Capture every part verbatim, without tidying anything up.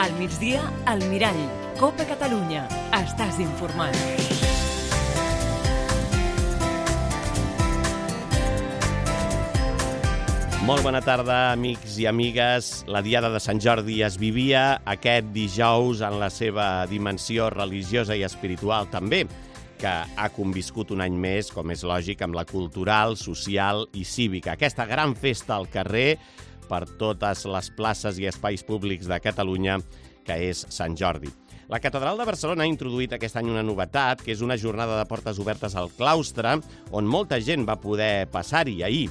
Al migdia, al Mirall. Cope Catalunya. Estàs informat. Molt bona tarda, amics i amigues. La Diada de Sant Jordi es vivia aquest dijous en la seva dimensió religiosa i espiritual també, que ha conviscut un any més, com és lògic, amb la cultural, social i cívica. Aquesta gran festa al carrer per totes les places i espais públics de Catalunya, que és Sant Jordi. La Catedral de Barcelona ha introduït aquest any una novetat, que és una jornada de portes obertes al claustre, on molta gent va poder passar-hi ahir.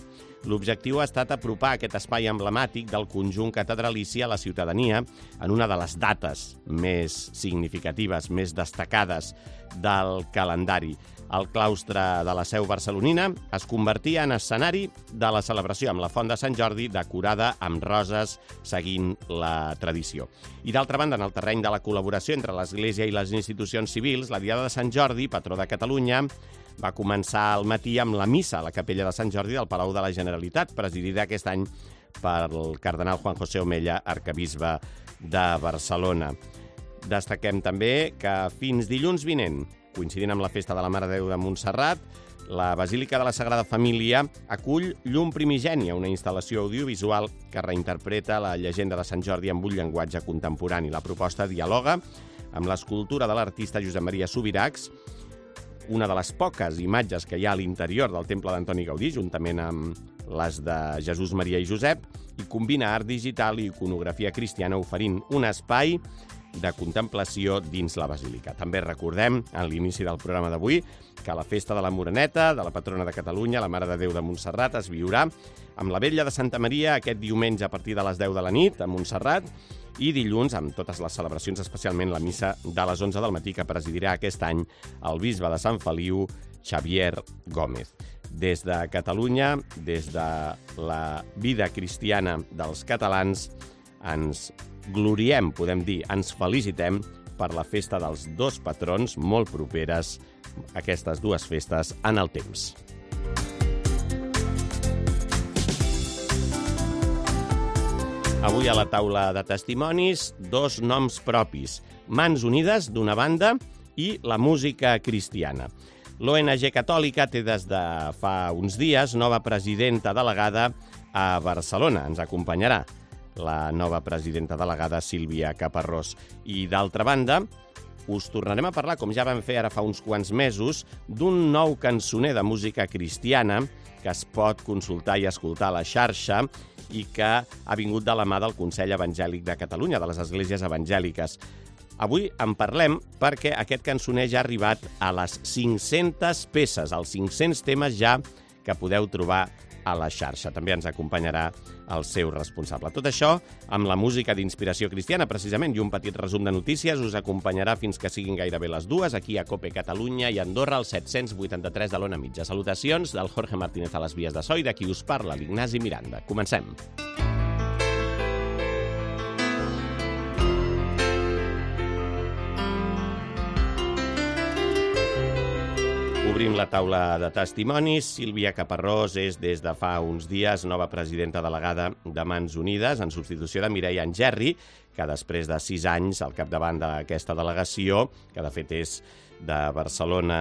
L'objectiu ha estat apropar aquest espai emblemàtic del conjunt catedralici a la ciutadania en una de les dates més significatives, més destacades del calendari. El claustre de la Seu barcelonina es convertia en escenari de la celebració amb la Font de Sant Jordi decorada amb roses seguint la tradició. I d'altra banda, en el terreny de la col·laboració entre l'Església i les institucions civils, la Diada de Sant Jordi, patró de Catalunya, va començar al matí amb la missa a la capella de Sant Jordi del Palau de la Generalitat, presidida aquest any pel cardenal Juan José Omella, arquebisbe de Barcelona. Destaquem també que fins dilluns vinent, coincidint amb la festa de la Mare de Déu de Montserrat, la Basílica de la Sagrada Família acull Llum Primigènia, una instal·lació audiovisual que reinterpreta la llegenda de Sant Jordi amb un llenguatge contemporani. La proposta dialoga amb l'escultura de l'artista Josep Maria Subirachs, una de les poques imatges que hi ha a l'interior del temple d'Antoni Gaudí, juntament amb les de Jesús, Maria i Josep, i combina art digital i iconografia cristiana oferint un espai de contemplació dins la basílica. També recordem, en l'inici del programa d'avui, que la festa de la Moreneta, de la patrona de Catalunya, la Mare de Déu de Montserrat, es viurà amb la Vetlla de Santa Maria aquest diumenge a partir de les deu de la nit a Montserrat i dilluns amb totes les celebracions, especialment la missa de les onze del matí que presidirà aquest any el bisbe de Sant Feliu, Xavier Gómez. Des de Catalunya, des de la vida cristiana dels catalans, ens gloriem, podem dir, ens felicitem per la festa dels dos patrons molt properes, aquestes dues festes, en el temps. Avui a la taula de testimonis, dos noms propis, Mans Unides, d'una banda, i la música cristiana. L'O N G Catòlica té des de fa uns dies nova presidenta delegada a Barcelona. Ens acompanyarà la nova presidenta delegada Sílvia Caparrós. I d'altra banda, us tornarem a parlar, com ja vam fer ara fa uns quants mesos, d'un nou cançoner de música cristiana que es pot consultar i escoltar a la xarxa i que ha vingut de la mà del Consell Evangèlic de Catalunya, de les Esglésies Evangèliques. Avui en parlem perquè aquest cançoner ja ha arribat a les cinc-centes peces, als cinc-cents temes ja que podeu trobar a la xarxa. També ens acompanyarà el seu responsable. Tot això amb la música d'inspiració cristiana, precisament, i un petit resum de notícies us acompanyarà fins que siguin gairebé les dues, aquí a Cope Catalunya i Andorra, al set-cents vuitanta-tres de l'Ona Mitja. Salutacions del Jorge Martínez a les vies de so i de qui us parla, l'Ignasi Miranda. Comencem. Obrim la taula de testimonis. Sílvia Caparrós és, des de fa uns dies, nova presidenta delegada de Mans Unides, en substitució de Mireia Angerri, que després de sis anys al capdavant d'aquesta delegació, que de fet és de Barcelona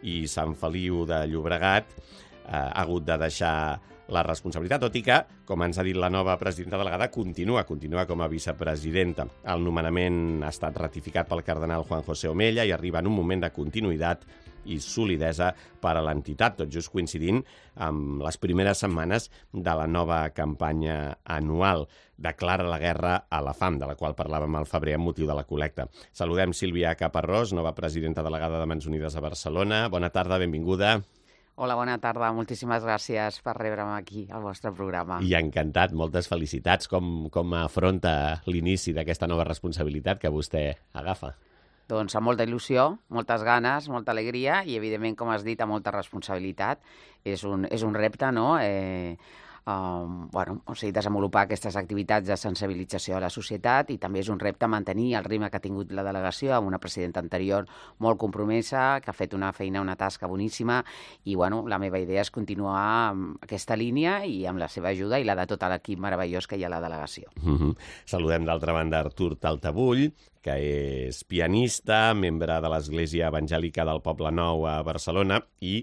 i Sant Feliu de Llobregat, eh, ha hagut de deixar la responsabilitat, tot i que, com ens ha dit la nova presidenta delegada, continua, continua com a vicepresidenta. El nomenament ha estat ratificat pel cardenal Juan José Omella i arriba en un moment de continuïtat i solidesa per a l'entitat, tot just coincidint amb les primeres setmanes de la nova campanya anual Declara la guerra a la fam, de la qual parlàvem al febrer amb motiu de la col·lecta. Saludem Sílvia Caparrós, nova presidenta delegada de Mans Unides a Barcelona. Bona tarda, benvinguda. Hola, bona tarda. Moltíssimes gràcies per rebre'm aquí al vostre programa. I encantat, moltes felicitats. Com, com afronta l'inici d'aquesta nova responsabilitat que vostè agafa? Doncs amb molta il·lusió, moltes ganes, molta alegria i, evidentment, com has dit, amb molta responsabilitat. És un, és un repte, no?, eh, um, bueno, o sigui, desenvolupar aquestes activitats de sensibilització a la societat, i també és un repte mantenir el ritme que ha tingut la delegació amb una presidenta anterior molt compromesa, que ha fet una feina, una tasca boníssima, i bueno, la meva idea és continuar amb aquesta línia i amb la seva ajuda i la de tot l'equip meravellós que hi ha a la delegació. Mm-hmm. Saludem d'altra banda Artur Taltabull, que és pianista, membre de l'Església Evangèlica del Poble Nou a Barcelona i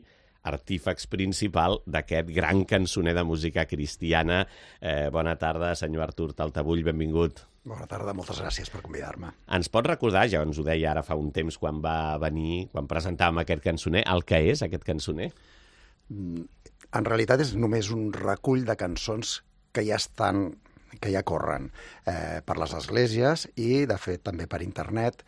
artífex principal d'aquest gran cançoner de música cristiana. Eh, bona tarda, senyor Artur Taltabull, benvingut. Bona tarda, moltes gràcies per convidar-me. Ens pot recordar, ja ens ho deia ara fa un temps quan va venir, quan presentàvem aquest cançoner, el que és aquest cançoner? En realitat és només un recull de cançons que ja estan, que ja corren eh, per les esglésies i, de fet, també per internet.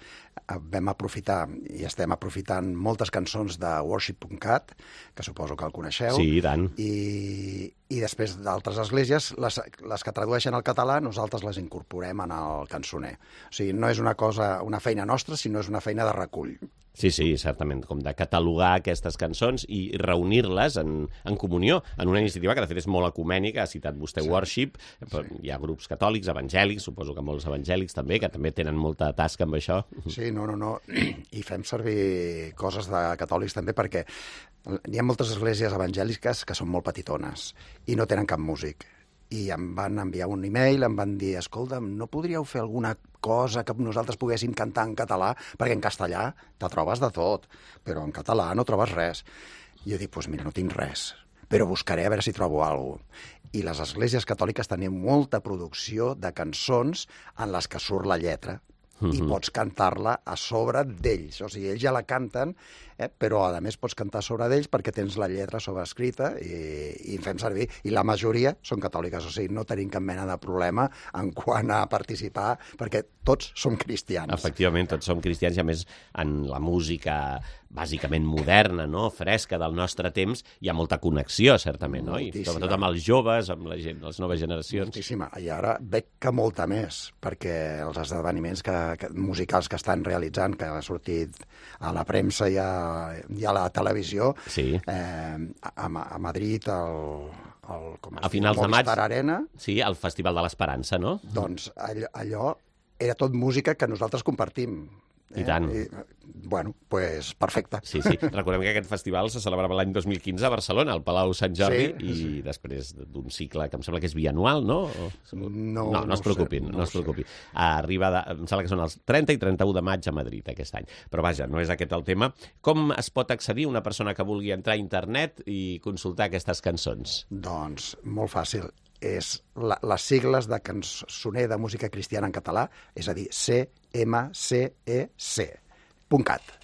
Vam aprofitar i estem aprofitant moltes cançons de worship punt cat, que suposo que el coneixeu. Sí, i tant. I, i després d'altres esglésies, les, les que tradueixen al català, nosaltres les incorporem en el cançoner. O sigui, no és una cosa, una feina nostra, sinó és una feina de recull. Sí, sí, certament, com de catalogar aquestes cançons i reunir-les en, en comunió, en una iniciativa que de fet és molt ecumènica, ha citat vostè sí. Worship, sí. Hi ha grups catòlics, evangèlics, suposo que molts evangèlics també, que també tenen molta tasca amb això. Sí, no, no, no, i fem servir coses de catòlics també perquè hi ha moltes esglésies evangèliques que són molt petitones i no tenen cap músic. I em van enviar un e-mail, em van dir, escolta'm, no podríeu fer alguna cosa que nosaltres poguéssim cantar en català? Perquè en castellà te trobes de tot, però en català no trobes res. I jo dic, doncs mira, no tinc res, però buscaré a veure si trobo alguna cosa. I les esglésies catòliques tenen molta producció de cançons en les que surt la lletra. I pots cantar-la a sobre d'ells. O sigui, ells ja la canten, eh, però a més pots cantar a sobre d'ells perquè tens la lletra sobreescrita i, i fem servir. I la majoria són catòliques, o sigui, no tenim cap mena de problema en quant a participar, perquè tots som cristians. Efectivament, tots som cristians i a més en la música bàsicament moderna, no? Fresca del nostre temps, hi ha molta connexió, certament, no? I sobretot amb els joves, amb la gent, les noves generacions. Moltíssima. I ara veig que molta més, perquè els esdeveniments que, que, musicals que estan realitzant, que ha sortit a la premsa i a, i a la televisió, sí. eh, a, a Madrid, el, el, com a finals de maig, Arena, sí, el Festival de l'Esperança, no? Doncs allò, allò era tot música que nosaltres compartim. I tant. Eh? I, bueno, pues perfecte. Sí, sí. Recordem que aquest festival se celebrava l'any dos mil quinze a Barcelona, al Palau Sant Jordi, sí, i sí. després d'un cicle que em sembla que és bianual, no? O... No, no, no, no es preocupin, sé, no, no es preocupi. Arriba, de, em sembla que són els trenta i trenta-u de maig a Madrid aquest any. Però vaja, no és aquest el tema. Com es pot accedir una persona que vulgui entrar a internet i consultar aquestes cançons? Doncs molt fàcil. És la, les sigles de cançoner de música cristiana en català, és a dir, C M C E C punt cat.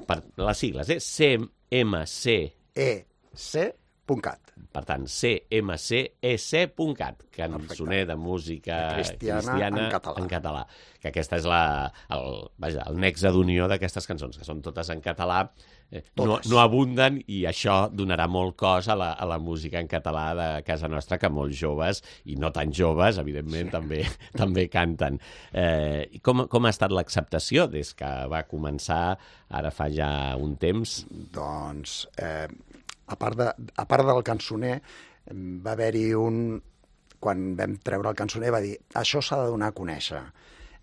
Per les sigles, eh? C M C E C punt cat. Per tant, C M C E C punt cat, cançoner de música cristiana, cristiana en, català. en català. Que aquesta és la, el, vaja, el nexe d'unió d'aquestes cançons, que són totes en català, eh, no, no abunden, i això donarà molt cos a la, a la música en català de casa nostra, que molts joves, i no tan joves, evidentment, sí. també, també canten. Eh, com, com ha estat l'acceptació des que va començar, ara fa ja un temps? Doncs... Eh... A part, de, a part del cançoner, va haver-hi un... Quan vam treure el cançoner va dir això s'ha de donar a conèixer.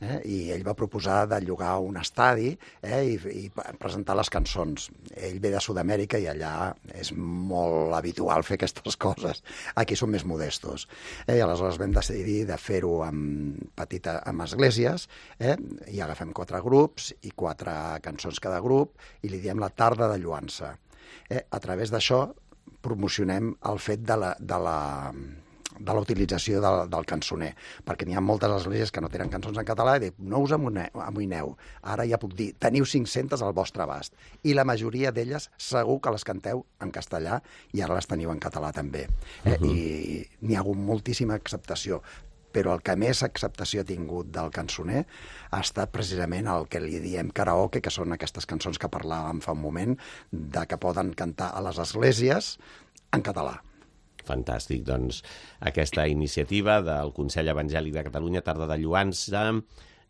Eh? I ell va proposar de llogar un estadi eh? I, i presentar les cançons. Ell ve de Sud-amèrica i allà és molt habitual fer aquestes coses. Aquí som més modestos. Eh? I aleshores vam decidir de fer-ho amb, petita, amb esglésies, eh? I agafem quatre grups i quatre cançons cada grup i li diem la tarda de lluança. Eh, a través d'això promocionem el fet de la, de la, de la utilització del, del cançoner, perquè n'hi ha moltes esglésies que no tenen cançons en català i dic, no us amoïneu, ara ja puc dir, teniu cinc-centes al vostre abast, i la majoria d'elles segur que les canteu en castellà i ara les teniu en català també. Eh? Uh-huh. I n'hi ha hagut moltíssima acceptació, però el que més acceptació ha tingut del cançoner ha estat precisament el que li diem karaoke, que són aquestes cançons que parlàvem fa un moment, de que poden cantar a les esglésies en català. Fantàstic, doncs aquesta iniciativa del Consell Evangèlic de Catalunya, Tarda de Lluança,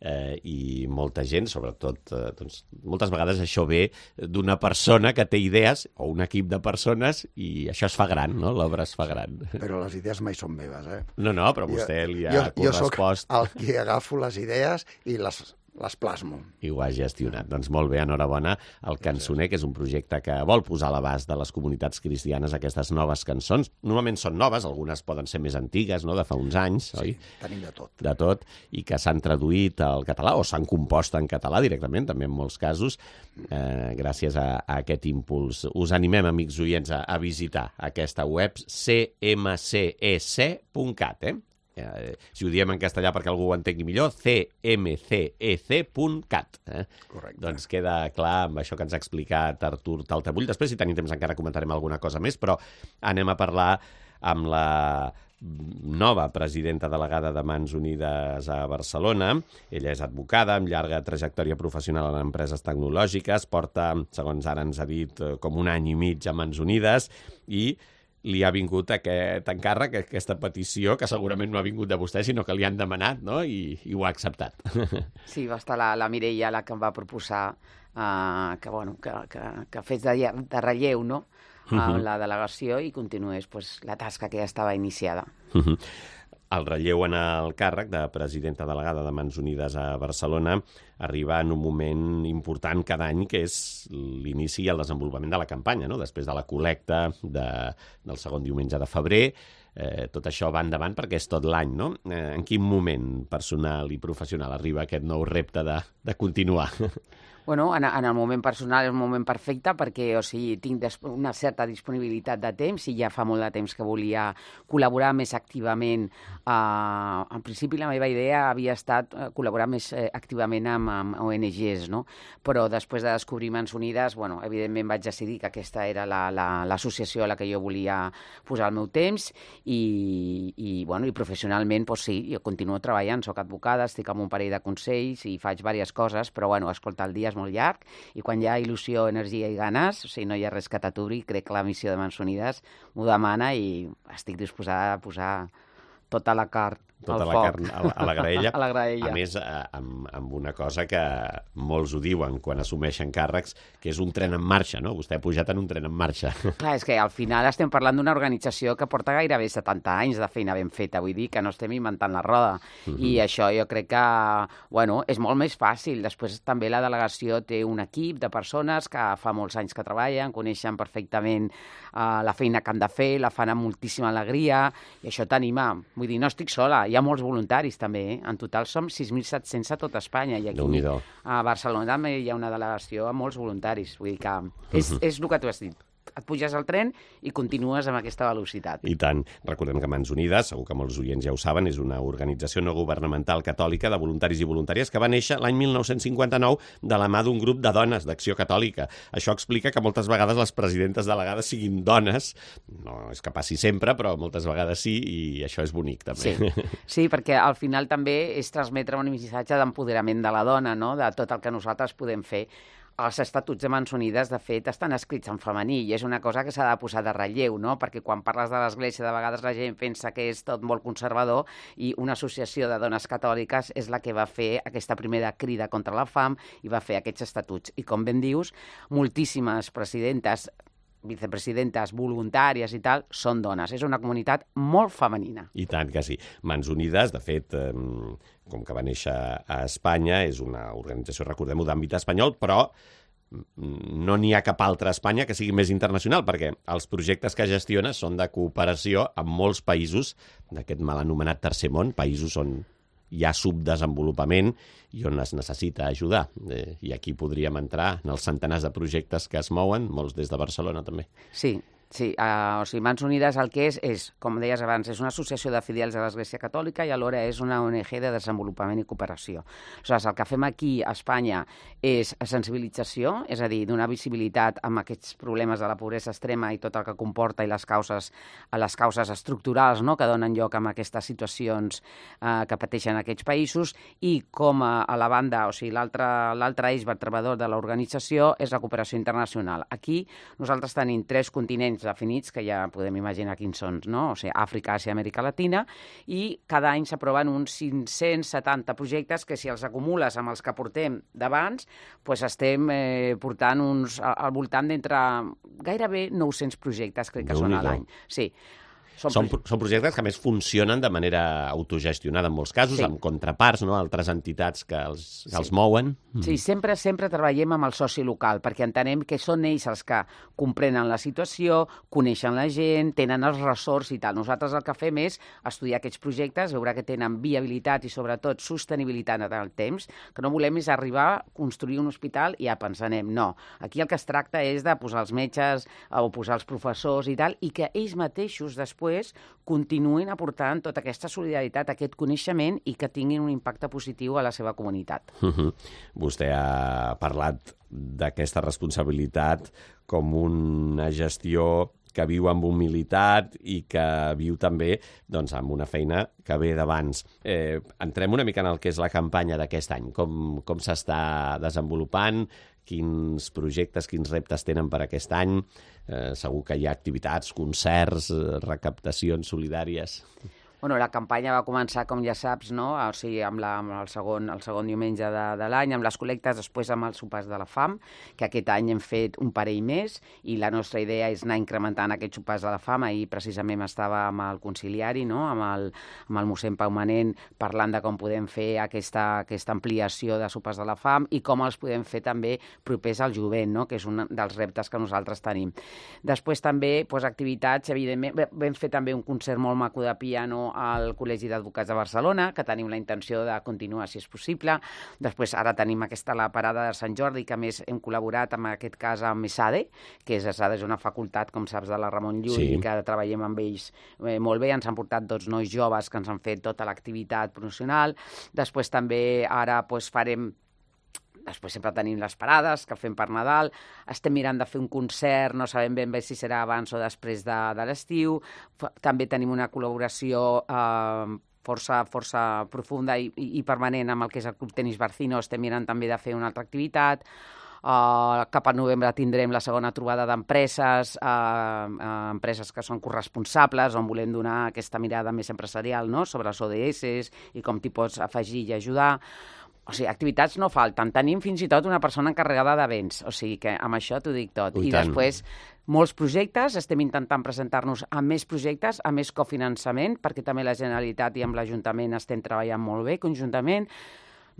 eh, i molta gent, sobretot, eh, doncs, moltes vegades això ve d'una persona que té idees, o un equip de persones, i això es fa gran, no? L'obra es fa gran. Però les idees mai són meves, eh? No, no, però vostè li ha jo, correspost. Jo soc el que agafo les idees i les... les plasmo. I ho ha gestionat. Doncs molt bé, enhorabona al Cançoner, que és un projecte que vol posar a l'abast de les comunitats cristianes aquestes noves cançons. Normalment són noves, algunes poden ser més antigues, no?, de fa uns anys, sí, oi? Tenim de tot. De tot, i que s'han traduït al català, o s'han compost en català directament, també en molts casos, eh, gràcies a, a aquest impuls. Us animem, amics oients, a, a visitar aquesta web c m c e c punt cat, eh? Eh, si ho diem en castellà perquè algú ho entengui millor, c m c e c punt cat. Eh? Correcte. Doncs queda clar amb això que ens ha explicat Artur Taltabull. Després, si tenim temps, encara comentarem alguna cosa més, però anem a parlar amb la nova presidenta delegada de Mans Unides a Barcelona. Ella és advocada, amb llarga trajectòria professional en empreses tecnològiques, porta, segons ara ens ha dit, com un any i mig a Mans Unides, i li ha vingut aquest encàrrec, aquesta petició, que segurament no ha vingut de vostè, sinó que li han demanat, no?, i, i ho ha acceptat. Sí, va estar la, la Mireia la que em va proposar uh, que, bueno, que, que, que fes de, de relleu, no?, a uh -huh. la delegació i continués pues, la tasca que ja estava iniciada. Uh -huh. El relleu en el càrrec de presidenta delegada de Mans Unides a Barcelona arriba en un moment important cada any, que és l'inici i el desenvolupament de la campanya, no?, després de la col·lecta de, del segon diumenge de febrer. Eh, tot això va endavant perquè és tot l'any, no? Eh, en quin moment personal i professional arriba aquest nou repte de, de continuar? Bueno, en, en el moment personal és un moment perfecte perquè, o sigui, tinc una certa disponibilitat de temps i ja fa molt de temps que volia col·laborar més activament. Uh, en principi la meva idea havia estat uh, col·laborar més uh, activament amb, amb O N Ges, no? Però després de descobrir Mans Unides, bueno, evidentment vaig decidir que aquesta era l'associació la, la, a la que jo volia posar el meu temps i, i, bueno, i professionalment, doncs sí, jo continuo treballant, soc advocada, estic amb un parell de consells i faig diverses coses, però, bueno, escolta, el dia és molt llarg i quan hi ha il·lusió, energia i ganes, o sigui, no hi ha res que t'aturi, crec que la missió de Mans Unides m'ho demana i estic disposada a posar tota la carn tota al la foc. carn a la, a la graella. A la graella. A més, amb, amb una cosa que molts ho diuen quan assumeixen càrrecs, que és un tren en marxa, no? Vostè ha pujat en un tren en marxa. Clar, és que al final estem parlant d'una organització que porta gairebé setanta anys de feina ben feta, vull dir que no estem inventant la roda. Uh -huh. I això jo crec que, bueno, és molt més fàcil. Després també la delegació té un equip de persones que fa molts anys que treballen, coneixen perfectament uh, la feina que han de fer, la fan amb moltíssima alegria, i això t'anima. Vull dir, no estic sola, hi ha molts voluntaris també, eh? En total som sis mil set-cents a tot Espanya i aquí a Barcelona també hi ha una delegació amb molts voluntaris, vull dir que és, uh -huh. és el que tu has dit. Et puges al tren i continues amb aquesta velocitat. I tant. Recordem que Mans Unides, segur que molts oients ja ho saben, és una organització no governamental catòlica de voluntaris i voluntàries que va néixer l'any mil nou-cents cinquanta-nou de la mà d'un grup de dones d'Acció Catòlica. Això explica que moltes vegades les presidentes delegades siguin dones, no és que passi sempre, però moltes vegades sí, i això és bonic també. Sí, sí, perquè al final també és transmetre un missatge d'empoderament de la dona, no?, de tot el que nosaltres podem fer. Els estatuts de Mans Unides, de fet, estan escrits en femení i és una cosa que s'ha de posar de relleu, no?, perquè quan parles de l'Església de vegades la gent pensa que és tot molt conservador i una associació de dones catòliques és la que va fer aquesta primera crida contra la fam i va fer aquests estatuts. I com ben dius, moltíssimes presidentes, vicepresidentes, voluntàries i tal, són dones. És una comunitat molt femenina. I tant que sí. Mans Unides, de fet, eh, com que va néixer a Espanya, és una organització, recordem-ho, d'àmbit espanyol, però no n'hi ha cap altra a Espanya que sigui més internacional, perquè els projectes que gestiona són de cooperació amb molts països d'aquest mal anomenat tercer món, països on hi ha subdesenvolupament i on es necessita ajudar. Eh, I aquí podríem entrar en els centenars de projectes que es mouen, molts des de Barcelona també. Sí, sí. Uh, o sigui, Mans Unides el que és, és, com deies abans, és una associació de fidels de l'Església Catòlica i alhora és una O N G de desenvolupament i cooperació. Aleshores, el que fem aquí a Espanya és sensibilització, és a dir, donar visibilitat amb aquests problemes de la pobresa extrema i tot el que comporta i les causes, les causes estructurals, no?, que donen lloc a aquestes situacions uh, que pateixen aquests països, i com a, a la banda, o sigui, l'altre eix vertebrador de l'organització és la cooperació internacional. Aquí nosaltres tenim tres continents anys definits, que ja podem imaginar quins són, no? O sigui, Àfrica, Àsia, Amèrica Latina, i cada any s'aproven uns cinc-cents setanta projectes que, si els acumules amb els que portem d'abans, doncs estem eh, portant uns, al voltant d'entre gairebé nou-cents projectes, crec que són a l'any. Sí. Són, són, són projectes que, a més, funcionen de manera autogestionada en molts casos, sí. amb contraparts, no? Altres entitats que els, que sí. els mouen. Sí, sempre sempre treballem amb el soci local, perquè entenem que són ells els que comprenen la situació, coneixen la gent, tenen els ressorts i tal. Nosaltres el que fem és estudiar aquests projectes, veure que tenen viabilitat i, sobretot, sostenibilitat en el temps, que no volem és arribar a construir un hospital i ja pensanem, no. Aquí el que es tracta és de posar els metges o posar els professors i tal, i que ells mateixos després continuïn aportant tota aquesta solidaritat, aquest coneixement, i que tinguin un impacte positiu a la seva comunitat. Uh-huh. Vostè ha parlat d'aquesta responsabilitat com una gestió que viu amb humilitat i que viu també doncs, amb una feina que ve d'abans. Eh, entrem una mica en el que és la campanya d'aquest any. Com, com s'està desenvolupant? Quins projectes, quins reptes tenen per aquest any? Eh, segur que hi ha activitats, concerts, recaptacions solidàries. Bueno, la campanya va començar, com ja saps, no? O sigui, amb, la, amb el, segon, el segon diumenge de, de l'any, amb les col·lectes, després amb els sopars de la fam, que aquest any hem fet un parell més, i la nostra idea és anar incrementant aquests sopars de la fam. Ahir precisament estava amb el conciliari, no? amb, el, amb el mossèn Pau Manent, parlant de com podem fer aquesta, aquesta ampliació de sopars de la fam i com els podem fer també propers al jovent, no? Que és un dels reptes que nosaltres tenim. Després també doncs, activitats, evidentment, vam fer també un concert molt maco de piano al Col·legi d'Advocats de Barcelona, que tenim la intenció de continuar, si és possible. Després, ara tenim aquesta la parada de Sant Jordi, que a més hem col·laborat, en aquest cas, amb ESADE, que és ESADE és una facultat, com saps, de la Ramon Llull, sí. i que treballem amb ells eh, molt bé. Ens han portat dos nois joves que ens han fet tota l'activitat promocional. Després també ara doncs, farem Després sempre tenim les parades que fem per Nadal, estem mirant de fer un concert, no sabem ben bé si serà abans o després de, de l'estiu. També tenim una col·laboració eh, força, força profunda i, i permanent amb el que és el Club Tenis Barcino. Estem mirant també de fer una altra activitat. Uh, cap al novembre tindrem la segona trobada d'empreses, uh, uh, empreses que són corresponsables, on volem donar aquesta mirada més empresarial, no?, sobre els O D S i com t'hi pots afegir i ajudar. O sigui, activitats no falten. Tenim fins i tot una persona encarregada d'events. O sigui que amb això t'ho dic tot. I, I després, molts projectes. Estem intentant presentar-nos a més projectes, a més cofinançament, perquè també la Generalitat i amb l'Ajuntament estem treballant molt bé conjuntament.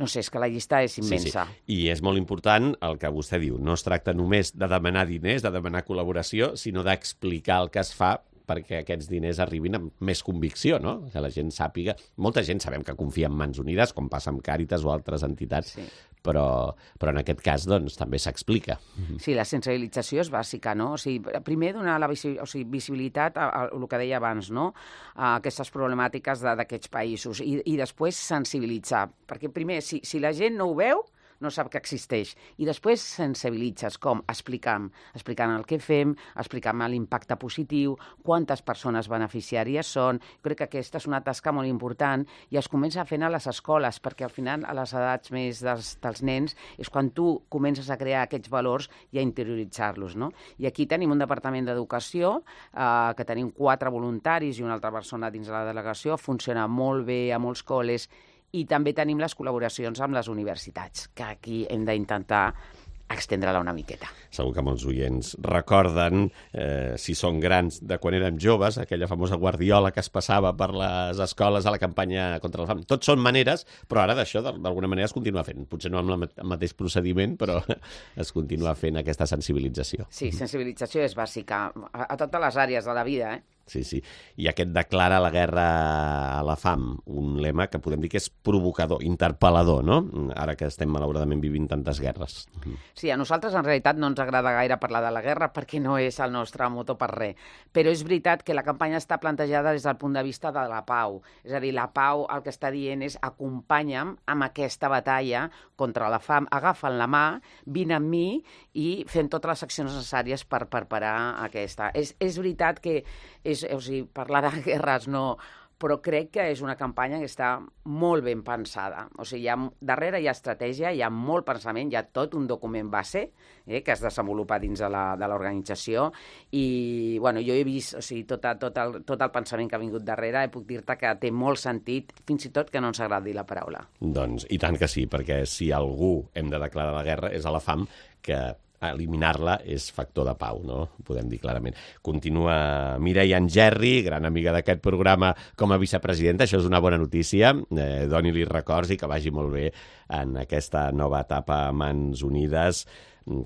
No sé, és que la llista és immensa. Sí, sí. I és molt important el que vostè diu. No es tracta només de demanar diners, de demanar col·laboració, sinó d'explicar el que es fa perquè aquests diners arribin amb més convicció, no? Que la gent sàpiga. Molta gent sabem que confia en Mans Unides, com passa amb Càritas o altres entitats, sí. però, però en aquest cas doncs, també s'explica. Sí, la sensibilització és bàsica, no? O sigui, primer donar la visi o sigui, visibilitat a, a, a el que deia abans, no? A aquestes problemàtiques d'aquests països i, i després sensibilitzar, perquè primer, si, si la gent no ho veu, no sap que existeix. I després sensibilitzes, com? Explicant, explicant el que fem, explicant l'impacte positiu, quantes persones beneficiàries són. Crec que aquesta és una tasca molt important i es comença fent a les escoles, perquè al final, a les edats més dels, dels nens, és quan tu comences a crear aquests valors i a interioritzar-los, no? I aquí tenim un departament d'educació, eh, que tenim quatre voluntaris i una altra persona dins de la delegació, funciona molt bé a molts col·les. I també tenim les col·laboracions amb les universitats, que aquí hem d'intentar extendre-la una miqueta. Segur que molts oients recorden, eh, si són grans, de quan érem joves, aquella famosa guardiola que es passava per les escoles a la campanya contra la fam. Tot són maneres, però ara d'això d'alguna manera es continua fent. Potser no amb el mateix procediment, però es continua fent aquesta sensibilització. Sí, sensibilització és bàsica a, a totes les àrees de la vida, eh? Sí, sí. I aquest declara la guerra a la fam, un lema que podem dir que és provocador, interpel·lador, no? Ara que estem malauradament vivint tantes guerres. Sí, a nosaltres en realitat no ens agrada gaire parlar de la guerra perquè no és el nostre motor per res. Però és veritat que la campanya està plantejada des del punt de vista de la pau. És a dir, la pau el que està dient és acompanya'm amb aquesta batalla contra la fam, agafa'n la mà, vine amb mi i fem totes les accions necessàries per, per parar aquesta. És, és veritat que és, o sigui, parlar de guerres no però crec que és una campanya que està molt ben pensada. O sigui, hi ha, darrere hi ha estratègia, hi ha molt pensament, hi ha tot un document base eh, que es desenvolupa dins de l'organització i bueno, jo he vist o sigui, tot, tot, el, tot el pensament que ha vingut darrere i puc dir-te que té molt sentit, fins i tot que no ens agradi la paraula. Doncs i tant que sí, perquè si algú hem de declarar la guerra és a la fam, que eliminar-la és factor de pau, no? Podem dir clarament. Continua Mireia Angerri, gran amiga d'aquest programa com a vicepresidenta. Això és una bona notícia. Eh, Doni-li records i que vagi molt bé en aquesta nova etapa a Mans Unides,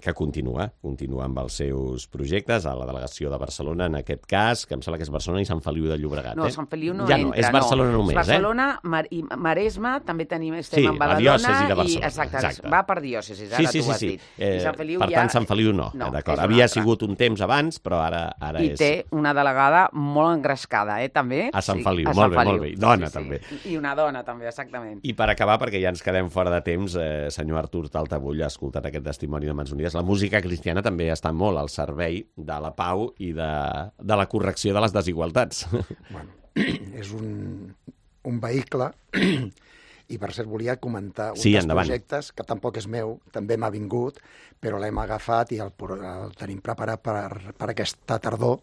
que continua, continua amb els seus projectes a la delegació de Barcelona, en aquest cas, que em sembla que és Barcelona i Sant Feliu de Llobregat. No, eh? Sant Feliu no ja entra, no, és Barcelona no. només, Barcelona, eh? Mar i Maresme, també tenim, estem sí, en Badalona. Sí, la diòcesi de Barcelona. I, exacte, exacte. Va per diòcesis, ara sí, sí, tu ho has sí, dit. sí. Eh, I Sant Feliu per ja... tant, Sant Feliu no, no eh, d'acord. Havia sigut un temps abans, però ara, ara I és... té una delegada molt engrescada, eh, també. A Sant sí, Feliu, a molt Sant bé, Feliu. molt bé. I dona, sí, sí. també. I una dona, també, exactament. I per acabar, perquè ja ens quedem fora de temps, eh, senyor Artur Taltabull ha escoltat aquest testimoni de Mans Unides. La música cristiana també està molt al servei de la pau i de, de la correcció de les desigualtats. Bueno, és un, un vehicle i per cert volia comentar un sí, dels endavant. projectes que tampoc és meu, també m'ha vingut, però l'hem agafat i el, el tenim preparat per, per aquesta tardor,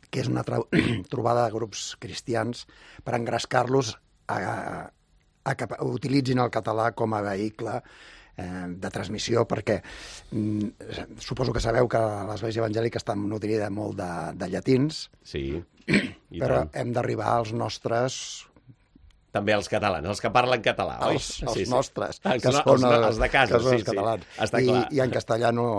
que és una trobada de grups cristians per engrescar-los a, a que utilitzin el català com a vehicle de transmissió, perquè mm, suposo que sabeu que l'Església Evangèlica està nutrida molt de, de llatins, sí, i però tant. hem d'arribar als nostres... També els catalans, els que parlen català, oi? Els, els sí, sí. nostres, els, que no, són els, els de casa, que són sí, els catalans. Sí. Està I, clar. I en castellà no,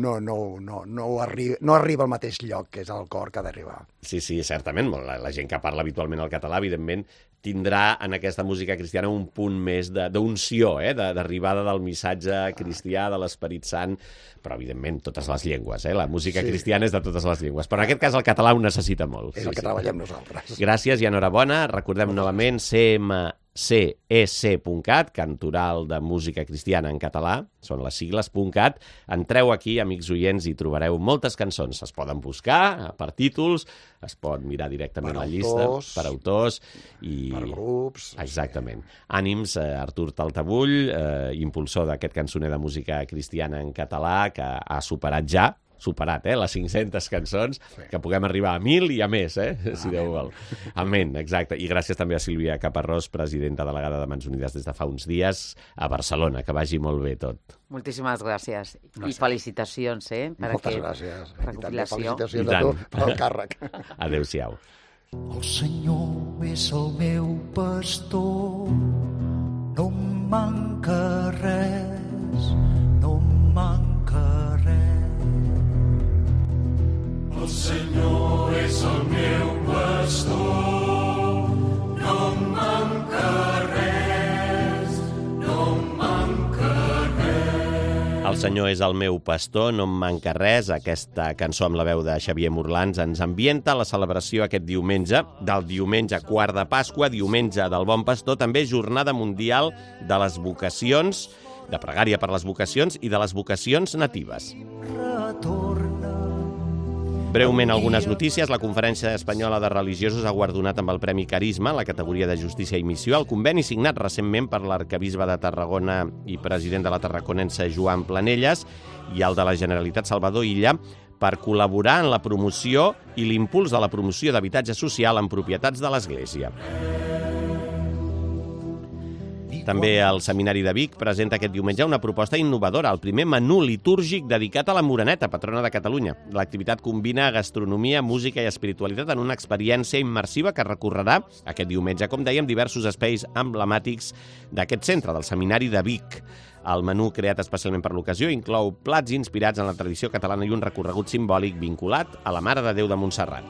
no, no, no, no, arriba, no arriba al mateix lloc, que és el cor que ha d'arribar. Sí, sí, certament. La, la gent que parla habitualment el català, evidentment, tindrà en aquesta música cristiana un punt més d'unció, eh? d'arribada del missatge cristià, de l'Esperit Sant, però, evidentment, totes les llengües. Eh? La música sí. cristiana és de totes les llengües, però en aquest cas el català ho necessita molt. És sí, el que sí. treballem nosaltres. Gràcies i enhorabona. Recordem novament C M C E C punt cat, Cantoral de Música Cristiana en català, són les sigles .cat. Entreu aquí, amics oients, i trobareu moltes cançons. Es poden buscar per títols, es pot mirar directament per la llista, autors, per autors i... per grups... Exactament. Ànims, eh, Artur Taltabull, eh, impulsor d'aquest cançoner de música cristiana en català, que ha superat ja, superat, eh, les cinc-centes cançons, sí. que puguem arribar a mil i a més, eh, si Déu vol. Amén, exacte. I gràcies també a Sílvia Caparrós, presidenta delegada de Mans Unides des de fa uns dies a Barcelona. Que vagi molt bé tot. Moltíssimes gràcies. gràcies. I felicitacions, eh? Per Moltes aquest gràcies. recopilació. Felicitacions a tu per el càrrec. Adéu-siau. El Senyor és el meu pastor, no em manca res, no em manca res. El Senyor és el meu pastor, no em manca res, no em manca res. El Senyor és el meu pastor, no em manca res. Aquesta cançó amb la veu de Xavier Morlans ens ambienta la celebració aquest diumenge, del diumenge quart de Pasqua, diumenge del Bon Pastor, també Jornada Mundial de les Vocacions, de pregària per les vocacions i de les vocacions natives. Breument algunes notícies. La Conferència Espanyola de Religiosos ha guardonat amb el Premi Carisma, la categoria de Justícia i Missió, el conveni signat recentment per l'arcabisbe de Tarragona i president de la Tarraconense Joan Planelles i el de la Generalitat Salvador Illa per col·laborar en la promoció i l'impuls de la promoció d'habitatge social en propietats de l'Església. També el Seminari de Vic presenta aquest diumenge una proposta innovadora, el primer menú litúrgic dedicat a la Moreneta, patrona de Catalunya. L'activitat combina gastronomia, música i espiritualitat en una experiència immersiva que recorrerà aquest diumenge, com dèiem, diversos espais emblemàtics d'aquest centre, del Seminari de Vic. El menú, creat especialment per l'ocasió, inclou plats inspirats en la tradició catalana i un recorregut simbòlic vinculat a la Mare de Déu de Montserrat.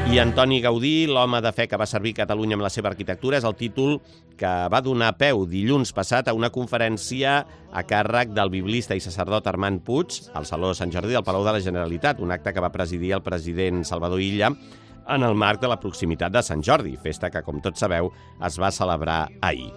I Antoni Gaudí, l'home de fe que va servir Catalunya amb la seva arquitectura, és el títol que va donar peu dilluns passat a una conferència a càrrec del biblista i sacerdot Armand Puig al Saló Sant Jordi del Palau de la Generalitat, un acte que va presidir el president Salvador Illa en el marc de la proximitat de Sant Jordi, festa que, com tots sabeu, es va celebrar ahir.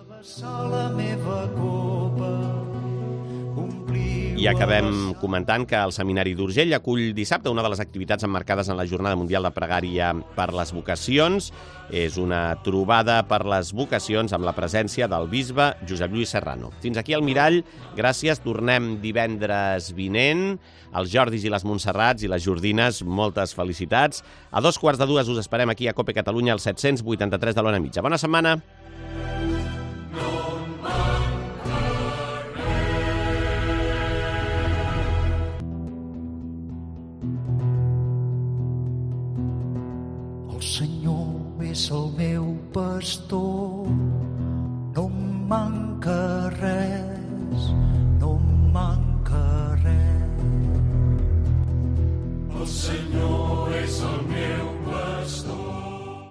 I acabem comentant que el Seminari d'Urgell acull dissabte una de les activitats emmarcades en la Jornada Mundial de Pregària per les Vocacions. És una trobada per les vocacions amb la presència del bisbe Josep Lluís Serrano. Fins aquí el Mirall. Gràcies. Tornem divendres vinent. Els Jordis i les Montserrats i les Jordines, moltes felicitats. A dos quarts de dues us esperem aquí a Cope Catalunya, al set-cents vuitanta-tres de l'Ona Mitja. Bona setmana. El Senyor és el meu pastor, no em manca res.